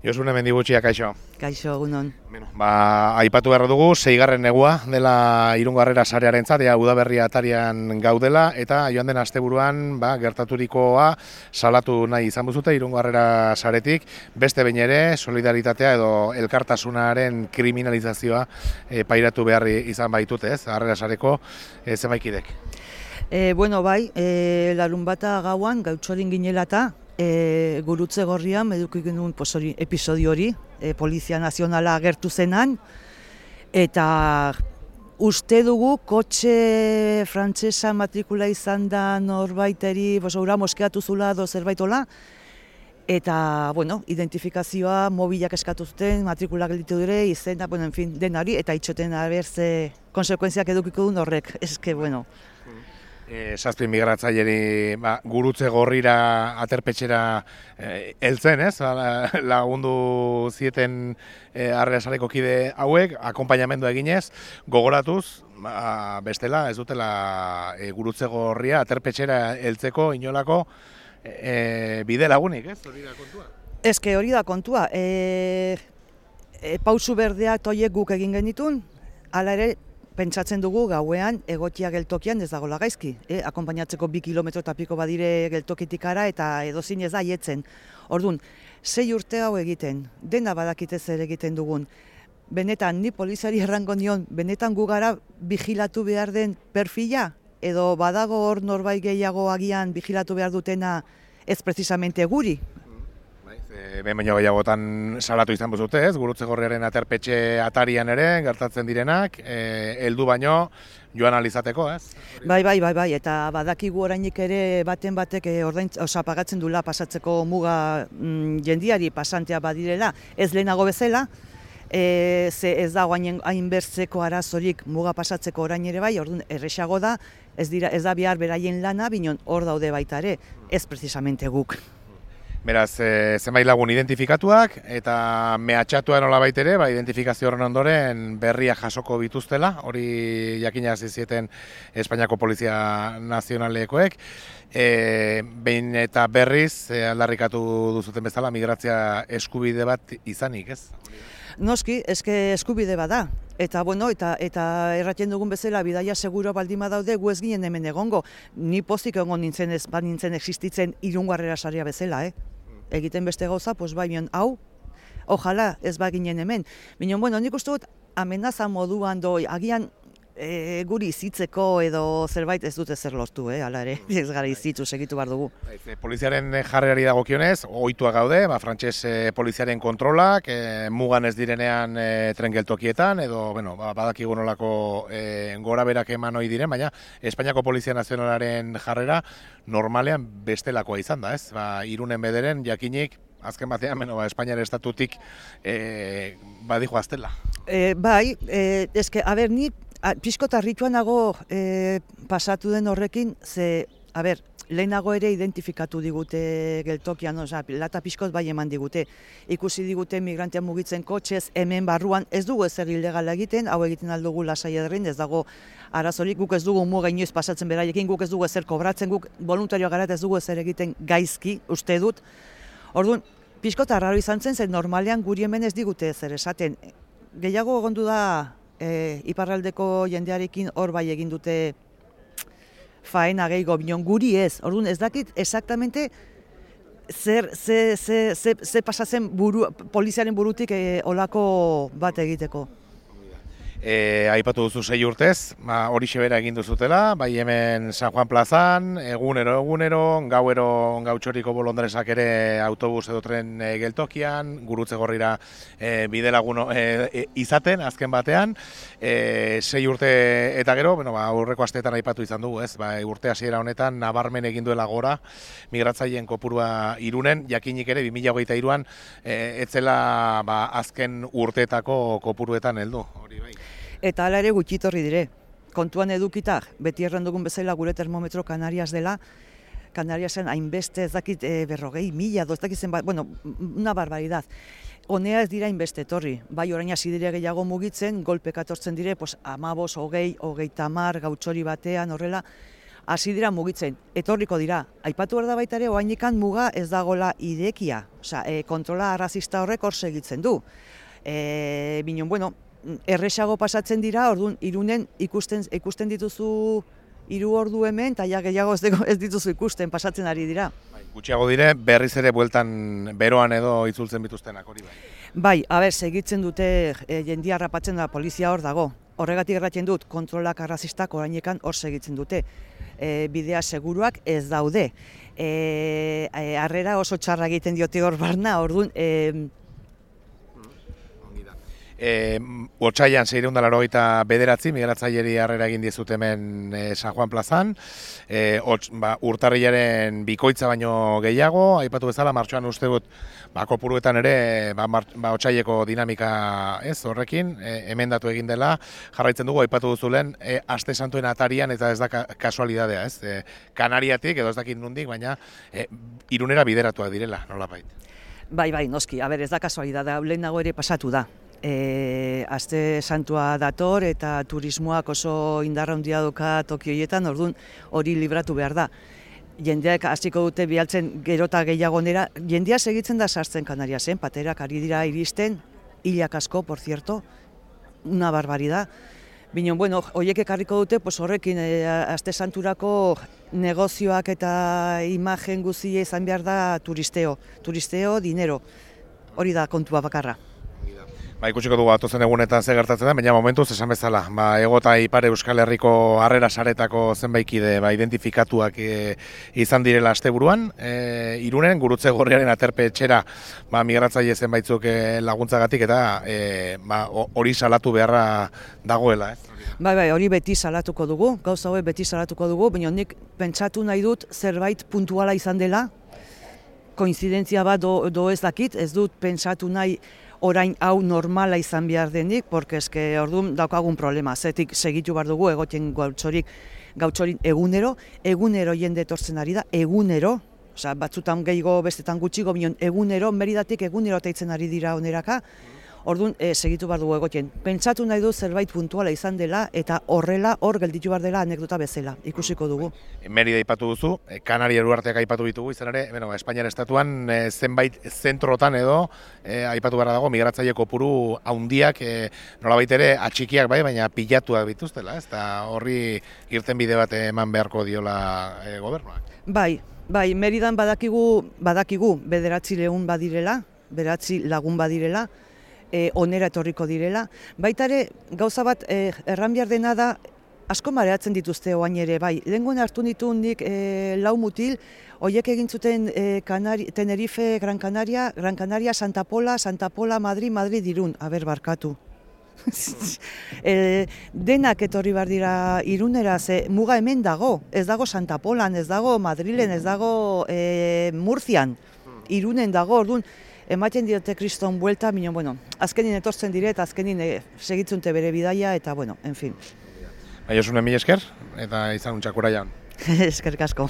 Josune Mendibutxia, kaixo. Kaixo, egunon. Aipatu behar dugu, 6. negua dela Irungo Harrera sarearentzat, udaberria atarian gaudela, eta joan den asteburuan gertaturikoa salatu nahi izan buzute Irungo Harrera saretik, beste behin ere solidaritatea edo elkartasunaren kriminalizazioa pairatu behar izan baitute, ez? Harrera sareko zenbaikidek. Larunbata gauan, gautxorin ginelata, Gurutze Gorrian eduki genuen episodio hori, Polizia Nazionala agertu zenan, eta uste dugu kotxe frantsesa matrikula izan da norbaiteri, ura moskeatu zula edo zerbaitola, eta, identifikazioa mobilak eskatu zuten, matrikula gelditu dire, izena, denari, eta itxoten abertze konsekuentziak edukiko duen horrek, Zazpi migratzaileri Gurutze Gorrira aterpetxera heltzen, ez? Lagundu zieten Harrera sareko kide hauek, akonpainamendua eginez, gogoratuz, bestela ez dutela Gurutze Gorria aterpetxera heltzeko inolako bide lagunik, ez? Hori da kontua? Hori da kontua. Pausu berdeak toiek guk egin genitun, hala ere, pentsatzen dugu gauean egotia geltokian ez dagoela gaizki. Akonpainatzeko 2 kilometro eta piko badire geltokitik ara eta edozin ez da aietzen. Orduan, 6 urte hau egiten, dena badakite zer egiten dugun. Benetan, ni poliziari errango nion, benetan gu gara vigilatu behar den perfila? Edo badago hor norbait gehiago agian vigilatu behar dutena ez precisamente guri? Behin baino gehiagotan salatu izan buzute, ez? Gurutze Gorriaren aterpetxe atarian ere gertatzen direnak, heldu baino joan alizateko, ez? Bai, eta badakigu orainik ere baten batek pagatzen dula pasatzeko muga jendiari pasantea badirela, ez lehenago bezala, ze ez dago hainbertzeko arazorik muga pasatzeko orain ere bai, orduan erresago da, ez da bihar beraien lana, binon hor daude baita ere, ez precisamente guk. Beraz, zenbait lagun identifikatuak eta mehatxatua nolabait ere, identifikazio horren ondoren berria jasoko bituztela, hori jakinazi zieten Espainiako Polizia Nazionalekoek. Behin eta berriz aldarrikatu duzuten bezala migrazia eskubide bat izanik, ez? Noski, eskubide bada. Eta erraten dugun bezala, bidaia seguro baldin badaude, gu ez ginen hemen egongo. Ni pozik egongo nintzen ez nintzen existitzen Irungo Harrera sarea bezala, Egiten beste gauza, hau, ojala ez baginen hemen. Nik uste dut, amenaza moduan agian guri izitzeko edo zerbait ez dute zer lortu, hala ere, ez gara izitzu segitu behar dugu. Poliziaren jarrerari dagokionez, ohitua gaude, frantses poliziaren kontrolak, mugan ez direnean tren geltokietan, edo, badakigu nolako gora berak eman ohi diren, baina Espainiako Polizia Nazionalaren jarrera normalean bestelakoa izan da, ez? Irunen bederen jakinik, azken batean, Espainiar estatutik badijo aztela. Ni pixkot harrituan nago pasatu den horrekin, lehenago ere identifikatu digute geltokian, lata pixkot bai eman digute. Ikusi digute migrantea mugitzen kotxez, hemen barruan ez dugu ezer ilegala egiten, hau egiten aldugu lasai ederrin, ez dago arazorik, guk ez dugu muga inoiz pasatzen beraiekin, guk ez dugu ezer kobratzen, guk voluntarioa gara ez dugu ezer egiten gaizki, uste dut. Orduan, pixkot arraro izan zen, normalean guri hemen ez digute ezer esaten. Gehiago egondu da iparraldeko jendearekin hor bai egin dute faena gehiago, binon guri ez. Orduan ez dakit exactamente ze pasatzen poliziaren burutik olako bat egiteko. Aipatu duzu 6 urtez, hori xebera egin duzutela, bai hemen San Juan plazan, egunero, gautxoriko bolondresak ere autobus edo tren geltokian, Gurutze Gorrira bidelagun izaten, azken batean, 6 urte eta gero, aurreko asteetan aipatu izan dugu, ez? Urte hasiera honetan nabarmen egin duela gora migratzaileen kopurua Irunen, jakinik ere 2023an etzela azken urteetako kopuruetan heldu, hori bai. Eta hala ere gutxitorri dire. Kontuan edukita, beti erran dugun bezala gure termometro Canarias dela, Canariasen hainbeste ez dakit 40.000, ez dakit zenbat, una barbaridad. Honea ez dira hainbeste etorri, bai orain hasi dire gehiago mugitzen, golpeka etortzen dire, 15, 20, 30 gautxori batean, horrela, hasi dira mugitzen, etorriko dira. Aipatu behar da baita ere, oraindikan muga ez dagoela irekia, osea, kontrola arrazista horrek hor segitzen du. Binon, bueno, erresago pasatzen dira, orduan, Irunen ikusten dituzu 3 ordu hemen, eta ja gehiago ez dituzu ikusten, pasatzen ari dira. Gutxiago dire, berriz ere bueltan beroan edo itzultzen bituztenak hori bai. Bai, segitzen dute jendia harrapatzen da, polizia hor dago. Horregatik erratzen dut, kontrolak arrazistak orainekan hor segitzen dute. Bidea seguruak ez daude. Harrera oso txarra egiten diote hor barna, orduan, Otsailean 689 migratzaileri harrera egin dizut hemen San Juan plazan, urtarrilaren bikoitza baino gehiago, aipatu bezala, martxoan uste dut kopuruetan ere otsaileko dinamika ez horrekin, emendatu egin dela, jarraitzen dugu, aipatu duzulen, aste santuen atarian eta ez da kasualidadea, ez? Kanariatik, edo ez dakit nondik, baina Irunera bideratuak direla, nolabait. Bai, noski, ez da kasualidadea, lehenago ere pasatu da. Aste santua dator eta turismoak oso indarra handia dauka Tokio horietan, orduan hori libratu behar da. Jendeak hasiko dute bialtzen gerota gehiagonera, jendea segitzen da sartzen Kanariasen, paterak ari dira iristen, hilak asko, por cierto, una barbaridad. Binon, bueno, horiek ekarriko dute, horrekin aste santurako negozioak eta imagen guztia izan behar da turisteo, dinero, hori da kontua bakarra. Ikusiko dugu atozen egunetan ze gertatzen da, baina momentuz esan bezala. Hego eta Ipar Euskal Herriko harrera saretako zenbaikide identifikatuak izan direla asteburuan. Irunen gurutze gorriaren aterpe etxera migratzaile zenbaitzuk laguntzagatik eta hori salatu beharra dagoela. Bai, hori beti salatuko dugu, gauza hori beti salatuko dugu, baina nik pentsatu nahi dut zerbait puntuala izan dela, koinzidentzia bat do ez dakit, ez dut pentsatu nahi orain hau normala izan behar denik, porque eske orduan daukagun problema, zetik segitu behar dugu egoten gautxorin egunero jende etortzen ari da, egunero, osea, batzutan gehiago bestetan gutxiko, bion egunero, Meridatik egunero teitzen ari dira oneraka, orduan segitu behar dugu egoten. Pentsatu nahi du zerbait puntuala izan dela eta horrela hor gelditu behar dela anekdota bezala, ikusiko dugu. Merida aipatu duzu, Kanaria Uharteak aipatu ditugu, izan ere, Espainiar estatuan zenbait zentrotan edo aipatu beharra dago migratzaile kopuru handiak nolabait ere atxikiak bai, baina pilatuak bituztela, ez da horri irten bide bat eman beharko diola gobernuak. Bai, Meridan badakigu 900 badirela, 900 lagun badirela, onera etorriko direla. Baita ere, gauza bat erran behar dena da, asko mareatzen dituzte oain ere, bai. Lehengoen hartu nitu nik 4 mutil, horiek egin zuten Tenerife, Gran Canaria, Santa Pola, Madrid, Irun, barkatu. Denak etorri behar dira Irunera, ze muga hemen dago, ez dago Santa Polan, ez dago Madrilen, ez dago Murzian, Irunen dago, orduan, ematen diote kriston buelta, bueno, azkenin etortzen dire eta azkenin segitzunte bere bidaia eta, bueno, en fin. Josune, mila esker eta izan untxakura jaun. Eskerrik asko.